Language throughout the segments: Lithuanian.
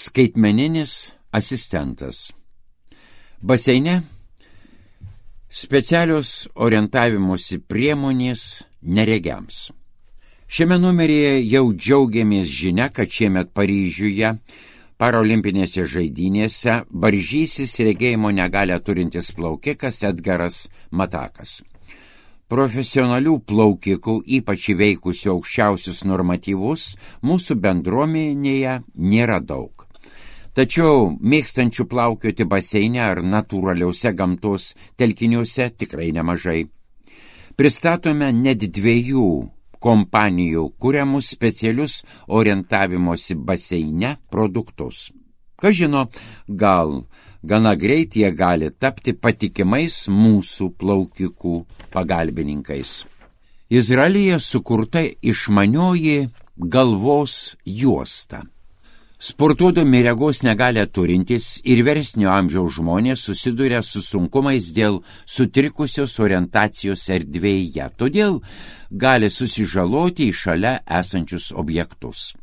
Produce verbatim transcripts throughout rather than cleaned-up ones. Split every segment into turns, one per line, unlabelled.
Skaitmeninis asistentas. Baseine specialios orientavimosi priemonės neregiams. Šiame numeryje jau džiaugiamės žinia, kad šiemet Paryžiuje parolimpinėse žaidynėse varžysis regėjimo negalią turintis plaukikas Edgaras Matakas. Profesionalių plaukikų, ypač įveikusių aukščiausius normatyvus, mūsų bendruomenėje nėra daug. Tačiau mėgstančių plaukioti baseine ar natūraliuose gamtos telkiniuose tikrai nemažai. Pristatome net dviejų kompanijų kuriamus specialius orientavimosi baseine produktus. Kas žino, gal gana greit jie gali tapti patikimais mūsų plaukikų pagalbininkais. Izraelyje sukurta išmanioji galvos juosta. Sportuodami regos negalią turintys ir vyresnio amžiaus žmonės susiduria su sunkumais dėl sutrikusios orientacijos erdvėje, todėl gali susižaloti į šalia esančius objektus.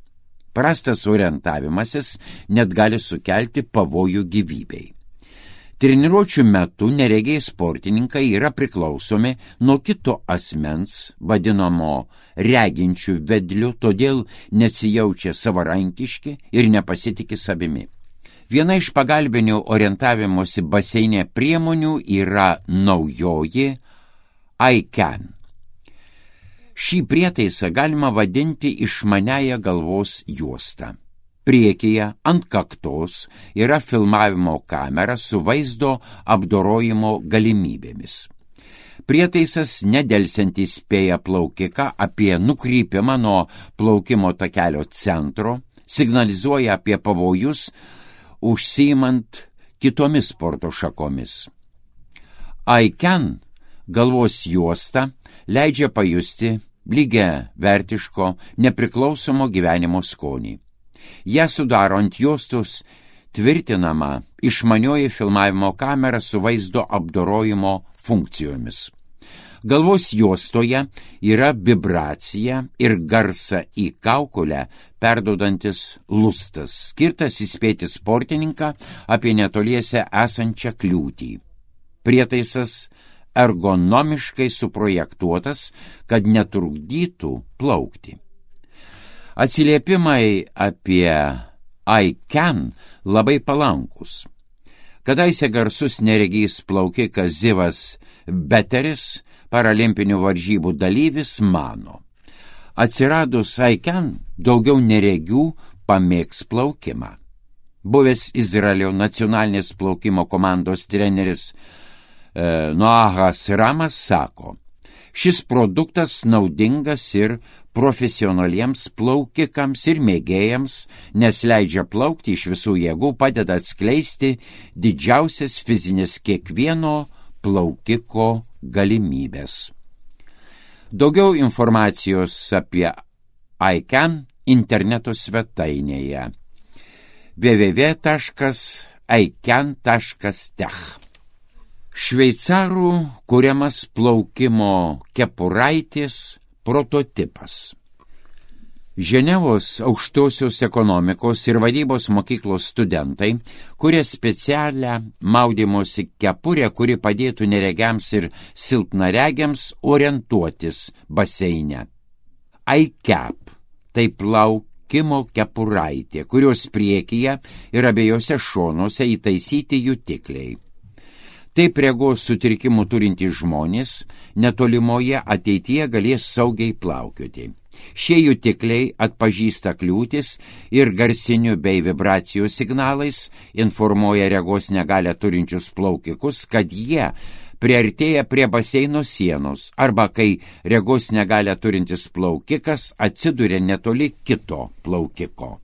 Prastas orientavimasis net gali sukelti pavojų gyvybei. Treniruočių metu neregiai sportininkai yra priklausomi nuo kito asmens, vadinamo reginčių vedliu, todėl nesijaučia savarankiški ir nepasitiki savimi. Viena iš pagalbinių orientavimosi baseine priemonių yra naujoji iCan. Šį prietaisą galima vadinti išmaniąją galvos juostą. Priekyje ant kaktos yra filmavimo kamera su vaizdo apdorojimo galimybėmis. Prietaisas nedelsiant įspėja plaukiką apie nukrypimą nuo plaukimo takelio centro, signalizuoja apie pavojus, užsiimant kitomis sporto šakomis. iCan galvos juosta leidžia pajusti lygia vertiško, nepriklausomo gyvenimo skonį. Ją sudaro ant juostos tvirtinama išmanioji filmavimo kamera su vaizdo apdorojimo funkcijomis. Galvos juostoje yra vibracija ir garsą į kaukolę perduodantis lustas, skirtas įspėti sportininką apie netoliese esančią kliūtį. Prietaisas ergonomiškai suprojektuotas, kad netrukdytų plaukti. Atsiliepimai apie iCan labai palankus. Kadaise garsus neregys plaukikas Zivas Beteris, paralimpinių varžybų dalyvis, mano: atsiradus iCan daugiau neregių pamėgs plaukimą. Buvęs Izraelio nacionalinės plaukimo komandos treneris e, Noahas Ramas sako: šis produktas naudingas ir profesionaliems plaukikams ir mėgėjams, nes leidžia plaukti iš visų jėgų, padeda atskleisti didžiausias fizinės kiekvieno plaukiko galimybės. Daugiau informacijos apie iCan interneto svetainėje w w w taškas ican taškas tech. Šveicarų kuriamas plaukimo kepuraitės prototipas. Ženevos aukštosios ekonomikos ir vadybos mokyklos studentai kuria specialią maudymosi kepurę, kuri padėtų neregiams ir silpnaregiams orientuotis baseine. iCap – tai plaukimo kepuraitė, kurios priekyje ir abiejose šonuose įtaisyti jutikliai. Taip regos sutrikimų turintys žmonės netolimoje ateityje galės saugiai plaukioti. Šie jutikliai atpažįsta kliūtis ir garsiniu bei vibracijų signalais informuoja regos negalią turinčius plaukikus, kad jie priartėja prie baseino sienos arba kai regos negalią turintis plaukikas atsiduria netoli kito plaukiko.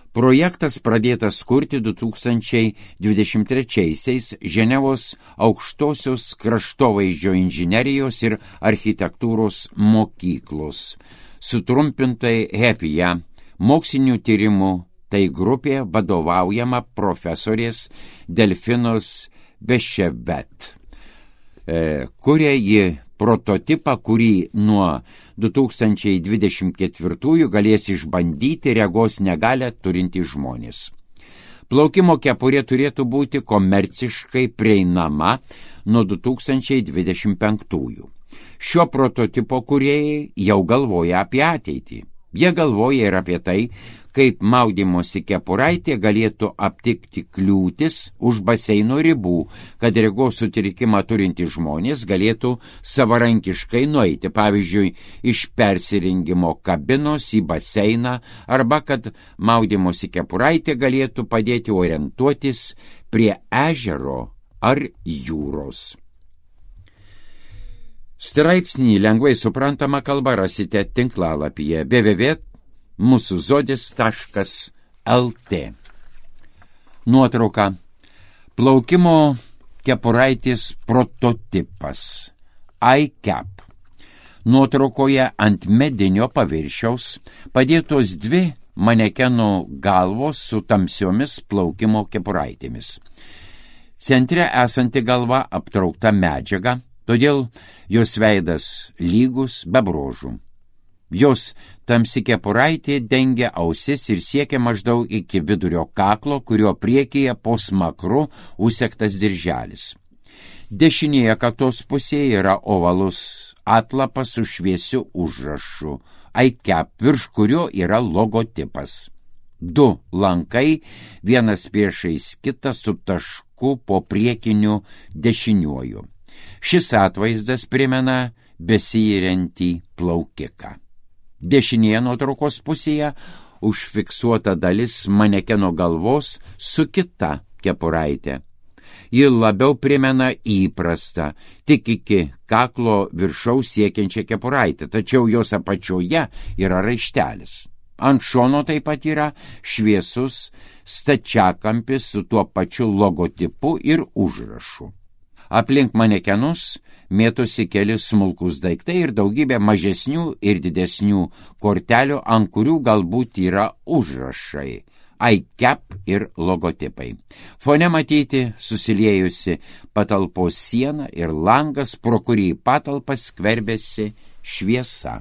Projektas pradėtas kurti du tūkstančiai dvidešimt trečiaisiais Ženevos aukštosios kraštovaizdžio inžinerijos ir architektūros mokyklos, sutrumpintai HEPIA, mokslinių tyrimų tai grupė vadovaujama profesorės Delfinos Beševet, kuria ji prototipą, kurį nuo du tūkstančiai dvidešimt ketvirtųjų galės išbandyti regos negalią turintys žmonės. Plaukimo kepurė turėtų būti komerciškai prieinama nuo du tūkstančiai dvidešimt penktųjų. Šio prototipo kūrėjai jau galvoja apie ateitį. Jie galvoja ir apie tai, kaip maudymosi kepuraitė galėtų aptikti kliūtis už baseino ribų, kad regos sutrikimą turintys žmonės galėtų savarankiškai nueiti, pavyzdžiui, iš persirengimo kabinos į baseiną, arba kad maudymosi kepuraitė galėtų padėti orientuotis prie ežero ar jūros. Straipsnį lengvai suprantama kalba rasite tinklalapyje w w w taškas mūsų zodis taškas l t. Nuotrauka. Plaukimo kepuraitės prototipas iCap. Nuotraukoje ant medinio paviršiaus padėtos dvi manekeno galvos su tamsiomis plaukimo kepuraitėmis. Centre esanti galva aptraukta medžiaga, todėl jos veidas lygus be bruožų. Jos tamsi kepuraitė dengia ausis ir siekia maždaug iki vidurio kaklo, kurio priekyje po smakru užsegtas dirželis. Dešinėje kaktos pusėje yra ovalus atlapas su šviesiu užrašu iCap, virš kurio yra logotipas. Du lankai, vienas priešais kitą su tašku po priekiniu dešiniuoju. Šis atvaizdas primena besiyriantį plaukiką. Dešinėje nuotraukos pusėje užfiksuota dalis manekeno galvos su kita kepuraitė. Ji labiau primena įprastą, tik iki kaklo viršaus siekiančią kepuraitę, tačiau jos apačioje yra raištelis. Ant šono taip pat yra šviesus stačiakampis su tuo pačiu logotipu ir užrašu. Aplink manekenus mėtosi keli smulkus daiktai ir daugybė mažesnių ir didesnių kortelių, ant kurių galbūt yra užrašai iCap ir logotipai. Fone matyti susiliejusi patalpos siena ir langas, pro kurį patalpas skverbėsi šviesa.